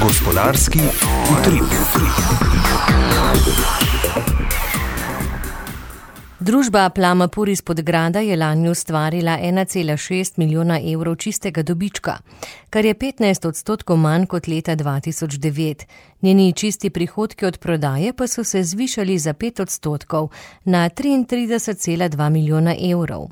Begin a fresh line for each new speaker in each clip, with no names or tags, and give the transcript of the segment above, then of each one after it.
Gospodarski utrip.
Družba Plamapur iz Podgrada je lani ustvarila 1,6 milijona evrov čistega dobička, kar je 15% manj kot leta 2009. Njeni čisti prihodki od prodaje pa so se zvišali za 5% na 33,2 milijona evrov.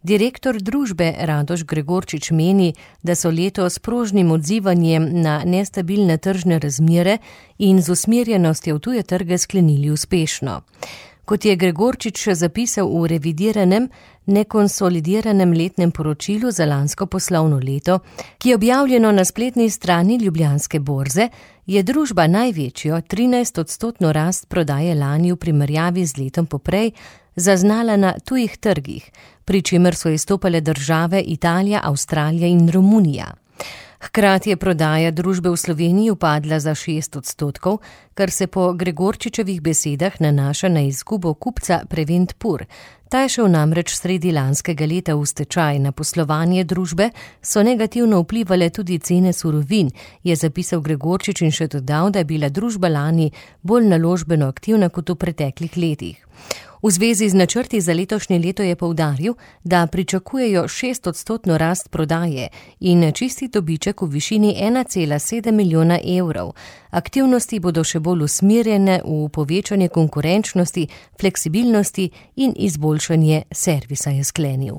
Direktor družbe Radoš Gregorčič meni, da so letos s prožnim odzivanjem na nestabilne tržne razmere in z usmerjenostjo v tuje trge sklenili uspešno. Kot je Gregorčič še zapisal v revidiranem, nekonsolidiranem letnem poročilu za lansko poslovno leto, ki je objavljeno na spletni strani Ljubljanske borze, je družba največjo 13% rast prodaje lani v primerjavi z letom poprej zaznala na tujih trgih, pri čemer so izstopale države Italija, Avstralija in Romunija. Hkrati je prodaja družbe v Sloveniji upadla za 6%, kar se po Gregorčičevih besedah nanaša na izgubo kupca Prevent-Pur. Ta je šel namreč sredi lanskega leta v stečaj. Na poslovanje družbe so negativno vplivale tudi cene surovin, je zapisal Gregorčič in še dodal, da je bila družba lani bolj naložbeno aktivna kot v preteklih letih. V zvezi z načrti za letošnje leto je poudaril, da pričakujejo 6% rast prodaje in čisti dobiček v višini 1,7 milijona evrov. Aktivnosti bodo še bolj usmerjene v povečanje konkurenčnosti, fleksibilnosti in izboljšanje servisa, je sklenil.